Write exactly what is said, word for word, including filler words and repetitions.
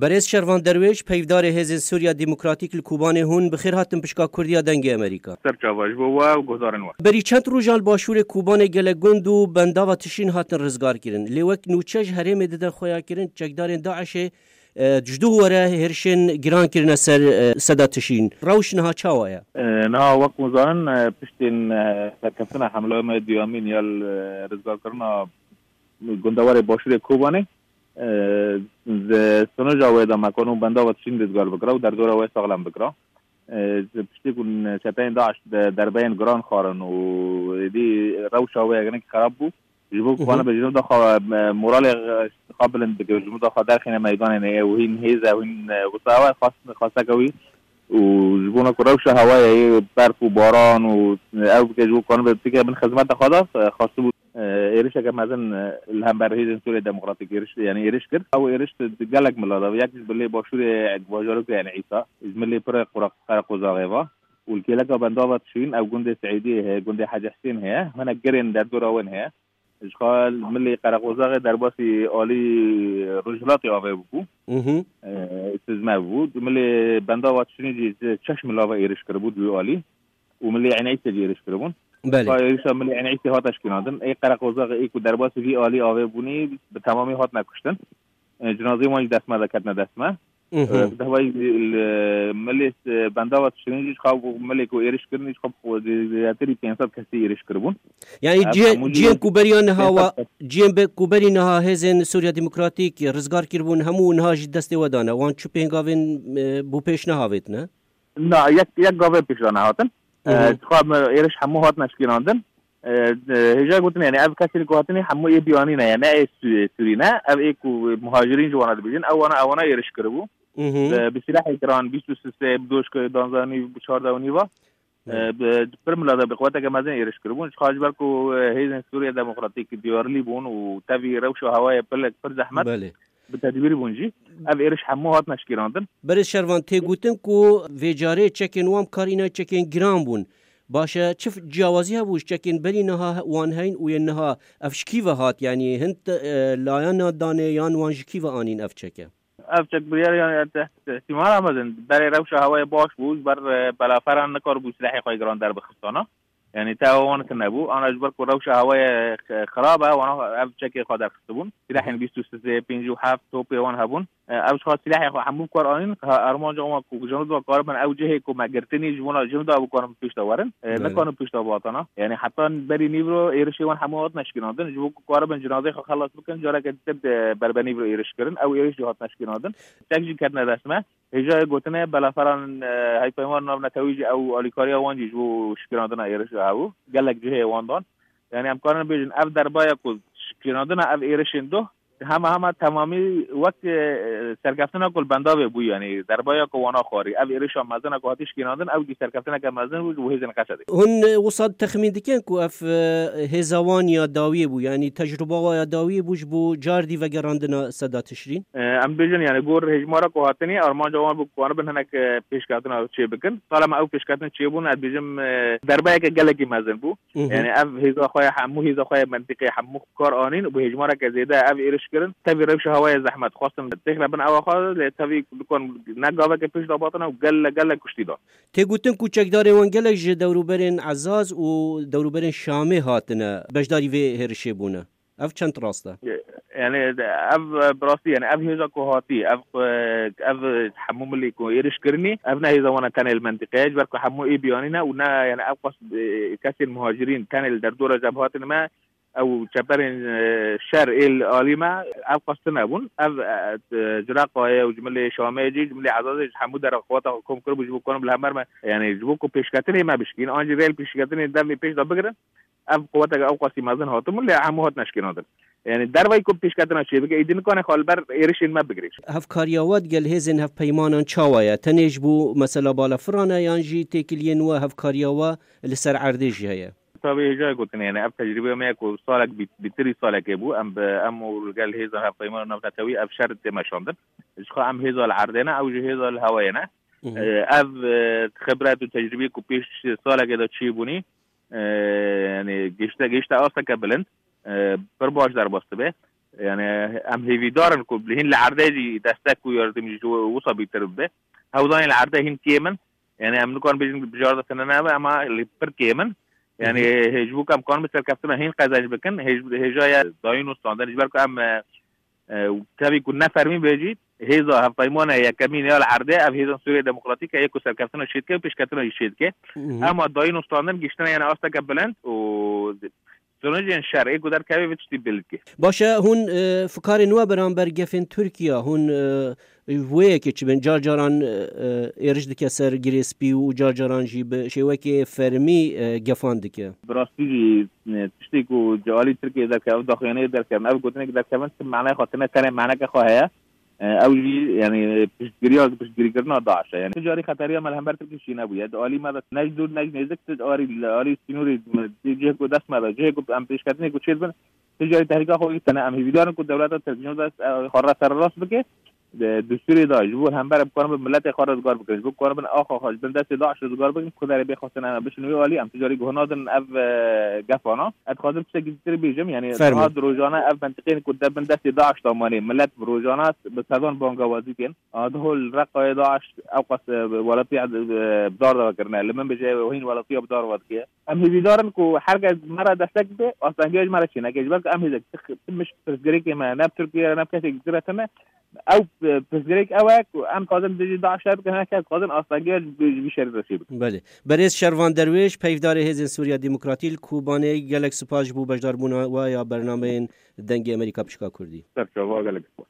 Berêz Şervan Derwêş, peyvdarê Hêzên Sûriya Demokratîk li Kobanê hûn, bi xêr hatin pişka Kurdiya Dengê Amerîka. Ser çava ji bo we û guhdarên we. Berî çend rojan li başûrê Kobanê gelek gund û bendava Tişrîn hatin rizgar kirin. Lê wek nûçe ji herêmê didin xuyakirin, çekdarên DAIŞê, e, ji duh were hêrişên giran kirine ser, e, seda Tişrîn. Rewş niha çawa ye? E, niha wek hûn zanin, e, piştên, e, serkeftina hemlaya me duyemîn ya li, e, rizgarkirina gundewarê başûrê Kobanê, e, di sonuca wê de mekan û bendava Tişrîn rizgar bikira û derdora wê saxlem bikira. E, ji piştî ku çeteyên DAIŞ de derbeyên giran xwarin û êdî rewşa wê hinek xerab bû. Ji bo ku Hı hı. Kanibe ji nû daxa, e, moralê, e, xwe bilind bike, ji nû daxa derxîne meydanê ne, ew hîn hêz e, hîn, e, wisa we xwest, xwesteke wî û ji bona ku rewşa hewayê yê berf û baran û, e, ew bike ji bo kanibe bike bin xizmeta xwe de, e, xwestibû, e, êrişeke mezin, e, li hember Hêzên Sûriya Demokratîk êriş, yani êriş kir. Ew êriş di gelek mila de, yek ji bilê başûrê bajarokê El Îsa, ji milê pir Qura-, Qereqozaxê ve û li kêleka bendava Tişrîn ew gundê Seîdiyê heye, gundê Hecî Husên heye, hinek girên derdora wan heye. Ji xwe milê Qereqozaxê derbasî alî rojhilatê avê bû. Mhm. E, Sizme bû. Milê bendava Tişrîn jî ji çeş milava êriş kiribû duwî alî. Û milê Enîsê jî êriş kiribûn. Belê. Ka êrişa milê Enîsê hate şkînandin. Ê Qereqozaxê ê ku derbasî vî alî avê bûnî bi temamî hatine kuştin. E, cinazê wan jî destme de ketine destme. Mhm. E, bi dehvayî li milê, e, bendava Tişrîn jî ji xwe milê ku êriş kirin jî xwe zêdetirî pênc sed kesî êriş kiribûn. Yani Ev cihê-, hemû jî cihên ku beriya niha wa, cihên be-, ku berî niha hêzên Sûriya Demokratîk rizgar kiribûn, hemû niha jî destê we dane. Wan çi pêngavên, e, bo pêş nehavêtine? Na, yek, yek gavê pêş de nehatin. Hı hı. E, dixwazim êriş hemû hatine şkînandin. E, e, hêja gotin, yani ev kesên ku hatinê hemû ê biyanî ne, yani ne ê Sû-, Sûrî ne. Ev ê ku muhacirîn ji wana dibêjin, ew wana, ewana êriş kiribû. Hı hı. E, bi silahê giran, bîst û sê, bi doşkê danzanî, bi çardeh û nîva. E, Evet. bi, pir mila de bi quweteke mezin êriş kiribûn. Ji xwe ji ber ku, e, hêzên Sûriye Demokratîk diyarlî bûn û tevî rewşa hewayê pir, pir zehmet. Belê. Bi tedbîr bûn jî. Ev êriş hemû hatine şkîrandin. Berê Şervan, tê gotin ku vê carê çekên wan bi kar îne çekên giran bûn. Baş e, çi f-, ciyawazî hebû ji çekên berî niha he-, wan heyn û yên niha ev ji kî ve hat? Yanî hin te-, e, layana danê yan wan ji kî ve anîn ev çeke? Ev çek biryar, yani, te-, te-, ihtimala mezin. Berê rewşa hewayê baş bû, ji ber, e, belaferan nikaribû silahê xwe giran derbixistana. Yani, te wan tune bû. Ana ji ber ku rewşa hewayê x-, xirab e, wana ev çekê xwe derxistibûn. Silahên bîst û sê, pêncî û heft topê wan hebûn. E, ev ji xwe silahê xwe hemû bi kar anîn, ha, armanca wan ku jinûd ve karibin ew cihê ku me girtinî, ji bona jinûda bikarin pêş de werin. E, Belê. Nikarin pêş de bihatana. Yani, heta berî nîvro êrişê wan hemû hatine şkînandin. Ji bo ku karibin cinazê xwe xelas bikin, careke dîtir de berbe nîvro êriş kirin. Ew êriş jî hatine şkînandin. Tek jî ketine dest me. Hêjayê gotine, belaferan, e, hevpeymanên navnetewî jî ew alîkariya wan jî ji bo şikirandina êrişa hebû. Gelek cihê wan dan. Yani em karin bêjin, ev derbaya ku şikirandina ev êrişên doh, hema hema temamî wek, e, serkeftina ku li bendavê bû, yani derbaya ku wana xwarî. Ev êrişa mezin e ku hatî şikirandin, ew jî serkeftineke mezin bû ji bo hêzên Qesedê. Hûn, e, wisa texmîn dikin ku ev, e, hêza wan ya dawiyê bû, yani tecrûba wan ya dawiyê bû ji bo cardî vegerandina seda Tişrîn? E, em bêjin, yani gor hejmara ku hatinî, armanca wan bû ku wan bin hinek, e, pêşketina çê bikin. Sala me ew pêşketin çêbûn, ez bêjim, e, derbeyeke gelekî mezin bû. Mhm. Yani ev hêza xwe ya hemû, hêza xwe ya mentiqê hemû kar anîn û bi hejmareke zêde ev êriş kirin. Tevî rewşa hewayê zehmet xwestin têxine bin ewa xwe, lê tevî dikon ne gaveke pêş de batine û gele, gele kuştî dan. Tê gotin ku çekdarên wan gelek ji dewrûberên Ezaz û dewrûberên Şamê hatine beşdarî vê hêrişê bûne. Ev çend rast e? Yani, ev, e, bi rastî, yani, ev hêza ku hatî, ev, e, ev hemû milî ku êriş kirinî, ev ne hêza wan e tenê li mentiqeyê, ji ber ku hemû ê biyanî ne û ne, yani, ev qas, e, kesên muhacirîn tenê li derdora cem hatin me, ew çeperên, e, şer ê li alî me, ev qas tune bûn. Ev, e, e, Ciraqayê û ji milê Şamê jî, ji milê Ezazê jî hemû dera qeweta xwe kom kiribû ji bo ku li hember me, yani, ji bo ku pêşketinê me bişkîn, an jî rê li pêşketinê demê pêş de bigirin. Ev quweteke ew qasî mezin hatibûn, lê hemû hatine şikênandin. Yani dervayî ku pêşketina çêbike, êdî nikane xwe li ber êrişên me bigire. Hevkariya we digel hêzên hevpeymanan çawa ye? Tenê ji bo mesela balafiran e yan jî têkiliyên we hevkariya we li ser erdê jî heye? Tabî hêja gotin, yani ev tecrûbeya me ye ku salek bî-, bîtirî salekê bû. Em bi, em û li gel hêza hevpeymanan navnetewî ev şer tê meşandin. Ji xwe em hêza li erdê ne, ew jî hêza li hewayê ne. Mhm. Ev, e, xibret û tecrûbeyê ku pêş salekê de çêbûnî, e, yani gişte, gişte asteke bilind, e, pir baş derbas dibe. Yani em hêvîdar in ku hîn li erdê jî destek û yardim jî ji wisa bîtir bibe. Hewzanên li erdê hîn kêm in. Yani em nikarin bêjin bijarda tune nebe, ema li pir kêm in. Yani hê-, ji bo ku em karin bi serkeftina hîn qezenc bikin, hêj-, hêja ye dayîn û standin, ji ber ku em, e, e, tevî ku ne fermî bê jî, hêza hevpeymana yekemîn ya li erdê, ev hêzên Sûriye Demokratîk e, yê ku serkeftina çêdike û pêşketina jî çêdike. Ema dayîn û standin giştine yani asteke bilind û sonucên şer ê ku derkeve vê tiştî bilind dike. Baş e, hûn, e, fikarên we beramber gefên Tirkiye, hûn, e, wê yekê çi bin? Car caran, e, e, êriş dike ser Girê Spî û car caran jî bi şêwekê fermî, e, gefan dike. Bi rastî jî, e, tiştê ku ji alî Tirkiyê derkevin, daxuyaniyê derkevin, ev gotinek derkevin, ti manaya xwe tine, tenê maneke xwe heye. E, ew jî, yani, piştgiriya, piştgirîkirina DAIŞ e. Yani, tu carî xeteriya me li hember Tirkî şî nebûye. Di alî me de ne ji dûr, ne ji nêzik, tu di alî, li alî sînorê me, di cihê ku dest me de, cihê ku em pêşketinê ku çêdibin, tu carî tehlîka xwe yî tene. Em hêvîdar in ku dewleta Tirk ji dest, e, xwe re sererast bike. Di, di Sûriyê de ji bo hember em bikarin bin miletê xwe rizgar bikin, ji bo bikarin bin axa xwe ji bin destê DAIŞ rizgar bikin, ku derê bê xwestin em bişin wê alî, em tu carî guh nadin ev, e, gefana. Ez dixwazim tiştekî ditir bêjim, yani, Fermo. Niha di rojane ev mentiqeyên ku de bin destê DAIŞ de manê, milet bi rojane bi sedan bangawazî tên. A, diho li Reqayê DAIŞ ew qas, e, welatiya, e, bi dar de vekirine. Li min bêje, hîn welatiya bi dar ve dike. Em hêvîdar in ku her kes me re destek bide, astengiya ji me re çêneke. Ji ber ku em hêzek ti, ti miş pirsgirêkê me, ne bi Tirkiye re, ne bi kesek dîtir re tune. Ew, e, pirsgirêk ew e ku em dixwazin dijî DAIŞ şer bikin, her kes dixwazin astengiya ji, ji vî şerî re çê bikin. Belê. Berêz Şervan Derwêş, peyvdarê Hêzên Sûriya Demokratî li Kobanê, gelek spas ji bo beşdarbûna we ya bernameyên Dengê Amerîka Pişka Kurdî. Ser çava, gelek spas.